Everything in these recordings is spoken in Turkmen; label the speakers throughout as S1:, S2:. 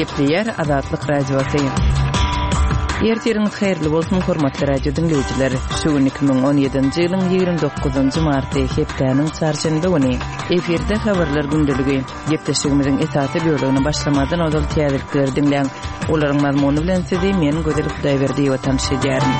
S1: Gepleýär Azatlyk Radiosy. Ertiriňiz haýyrly bolsun, hormatly radio diňleýjiler. Şu gün 2017-nji ýylyň 29-njy marty, hepdäniň çarşenbe güni. Efirde habarlar gündeligi. Gepleşigimiziň esasy bölegine başlamazdan ozal täzelikleri diňläň. Olaryň mazmuny bilen sizi men Gözel Hudaýberdiýewa tanyş edýärin.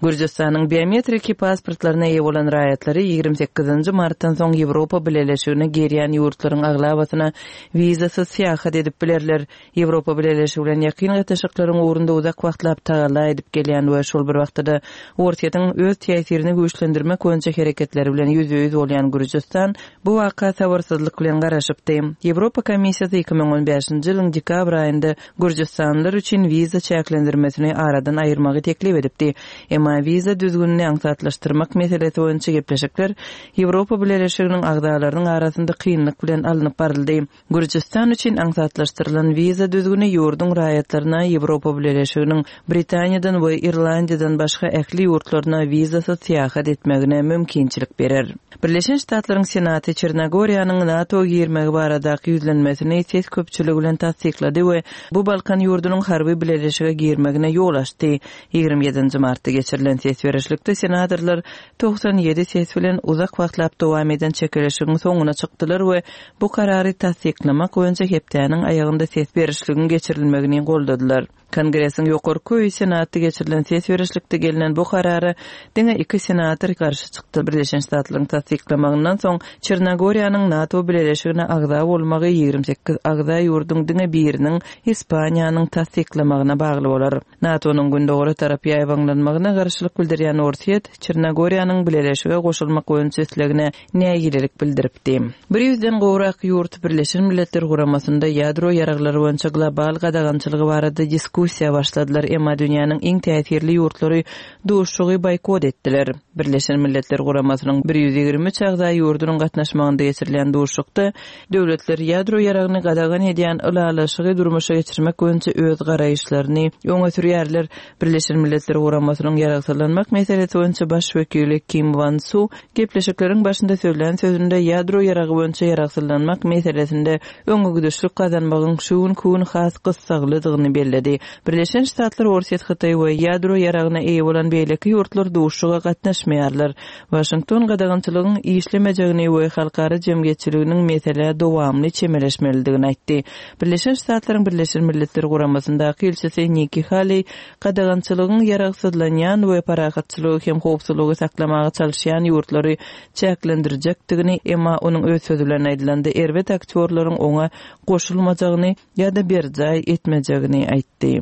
S1: Gürjüstanyň biometriki pasportlaryna eýe bolan raýatlary 28-nji martdan soň Ýewropa Bileleşigine girýän ýurtlaryň aglabasyna wizasyz syýahat edip bilerler. Ýewropa Bileleşigi bilen ýakyn gatnaşyklaryň ugrunda uzak wagtlap tagalla edip gelýän we şol bir wagtda-da Orsýetiň öz täsirini güýçlendirmek boýunça hereketleri bilen ýüzbe-ýüz bolýan Gürjüstan bu waka sabyrsyzlyk bilen garaşypdy. Ýewropa Komissiýasy 2015-nji ýylyň dekabr aýynda gürjüstanlylar üçin wiza çäklendirmesini aradan aýyrmagy teklip edipdi. Emma wiza düzgünini aňsatlaşdyrmak meselesi boýunça gepleşikler Ýewropa Bileleşiginiň agzalarynyň arasynda kynlyk bilen alnyp baryldy. Gürjüstan üçin aňsatlaşdyrylan wiza düzgüni ýurduň raýatlaryna Ýewropa Bileleşiginiň Britaniýadan we Irlandiýadan başga ähli ýurtlaryna wizasyz syýahat etmegine mümkinçilik berer. Birleşen Ştatlaryň Senaty Çernogoriýanyň NATO girmegi baradaky ýüzlenmesini ses köpçüligi bilen tassyklady we bu Balkan ýurdunyň harby bileleşige girmegine ýol açdy. 27-nji martda geçirilen ses berişlikde senatorlar 97 ses bilen uzak wagtlap dowam eden çekeleşigiň soňuna çykdylar we bu karary tassyklamak boýunça hepdäniň aýagynda ses berişligiň geçirilmegini goldadylar. Kongresiň ýokarky öýi Senatda geçirilen ses berişlikde gelnen bu karara diňe iki senator garşy çykdy. Birleşen Ştatlaryň tassyklamagyndan soň Çernogoriýanyň NATO bileleşigine agza bolmagy 28 agza ýurduň diňe biriniň, Ispaniýanyň tassyklamagyna bagly bolar. NATO-nyň gündogara tarap ýaýbaňlanmagyna garşylyk bildirýän Orsýet, Çernogoriýanyň bileleşige goşulmak boýunça islegine nägilelik bildiripdi. Bir ýüzden gowrak ýurt Birleşen Milletler Guramasynda ýadro ýaraglary boýunça global gadagançylygy barada diskussiýa başladylar, emma dünýäniň iň täsirli ýurtlary duşuşygy boýkot etdiler. Birleşen Milletler Guramasynyň 123 agza ýurdunyň gatnaşmagynda geçirilýän duşuşykda döwletler ýadro ýaragyny gadagan edýän ylalaşygy durmuşa geçirmek boýunça öz garaýyşlaryny öňe sürýärler. Birleşen Milletler Guramasynyň ýaragsyzlanmak meselesi boýunça baş wekili Kim Wan Su gepleşikleriň başynda sözlän sözünde ýadro ýaragy boýunça ýaragsyzlanmak meselesinde öňegidişlik gazanmagyň şu günki gün has gyssaglydygyny belledi. Birleşen Ştatlar, Orsýet, Hytaý we ýadro ýaragyna eýe bolan beýleki ýurtlar duşuşyga gatnaşmaýarlar. Waşington gadagançylygyň işlemejegini we halkara jemgyýetçiliginiň meselä dowamly çemeleşmelidigini aýtdy. Birleşen Ştatlaryň Birleşen Milletler Guramasyndaky ilçisi Nikki Haleý gadagançylygyň ýaragsyzlanýan we parahatçylygy hem howpsuzlygy saklamaga çalyşýan ýurtlary çäklendirjekdigini, emma onuň öz sözi bilen aýdylanda erbet aktýorlaryň oňa goşulmajagyny ýa-da berjaý etmejegini aýtdy.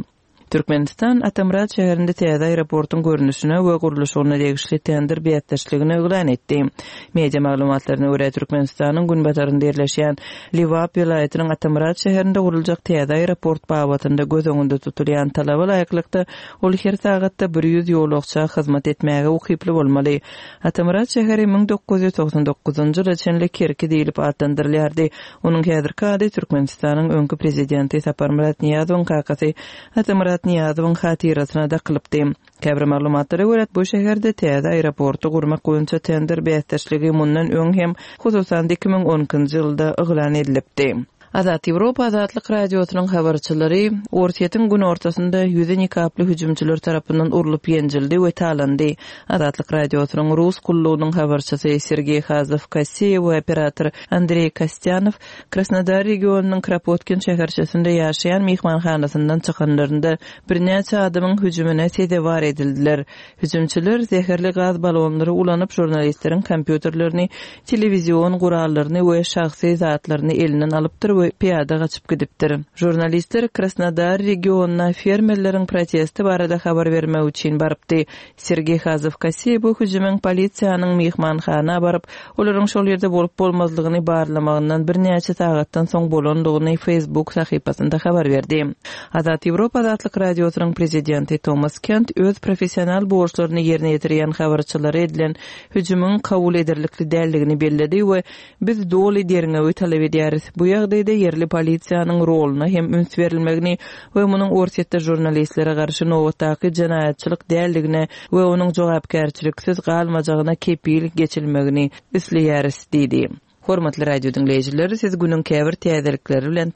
S1: Türkmenistan Atamyrat şäherinde täze aeroportuň görnüşine we gurluşygyna degişli tender bäsdeşligini yglan etdi. Media maglumatlaryna görä, Türkmenistanyň günbatarynda ýerleşýän Lebap welaýatynyň Atamyrat şäherinde guruljak täze aeroport babatynda göz öňünde tutulýan talaba laýyklykda, ol her sagatda 100 ýolagça hyzmat etmäge ukyply bolmaly. Atamyrat şäheri 1999-njy ýyla çenli Kerki diýlip atlandyrylýardy. Onuň häzirki ady Türkmenistanyň öňki prezidenti Saparmyrat Nyýazowyň kakasy Atamyrat Nyýazowyň hatyrasyna dakylypdy. Käbir maglumatlara görä, bu şäherde täze aeroporty gurmak boýunça tender bäsdeşligi mundan öň hem, hususan-da 2012-nji ýylda yglan edilipdi. Azat Ýewropa Azatlyk Radiosynyň habarçylary Orsýetiň günortasynda ýüzi nikaply hüjümçiler tarapyndan urlup ýenjildi we talandy. Azatlyk Radiosynyň Rus gullugynyň habarçysy Sergeý Hazow-Kosseýew we operator Andreý Kostýanow Krasnodar regionynyň Kropotkin şäherçesinde ýaşaýan myhmanhanasyndan çykanlarynda birnäçe adamyň hüjümine sezewar edildiler. Hüjümçiler zäherli gaz balonlary ulanyp, žurnalistleriň kompýuterlerini, telewizion gurallaryny we şahsy zatlaryny elinden alypdyr we pyýada gaçyp gidipdir. Žurnalistler Krasnodar regionyna fermerleriň protesti barada habar bermek üçin barypdy. Sergeý Hazow-Kosseý bu hüjümiň polisiýanyň myhmanhana baryp, olaryň şol ýerde bolup-bolmazlygyny barlamagyndan birnäçe sagatdan soň bolandygyny Facebook sahypasynda habar berdi. Azat Ýewropa Azatlyk Radiosynyň prezidenti Tomas Kent öz professional borçlaryny ýerine ýetirýän habarçylara edilen hüjümiň kabul ederlikli däldigini belledi we Biz doly derňewi talap edýäris. Bu ýagdaýda ýerli polisiýanyň roluna hem üns berilmegini we munuň Orsýetde žurnalistlere garşy nobatdaky jenaýatçylyk däldigine we onuň jogapkärçiliksiz galmajagyna kepil geçilmegini isleýäris diýdi. Hormatly radio diňleýjiler, siz günüň käbir täzelikleri bilen.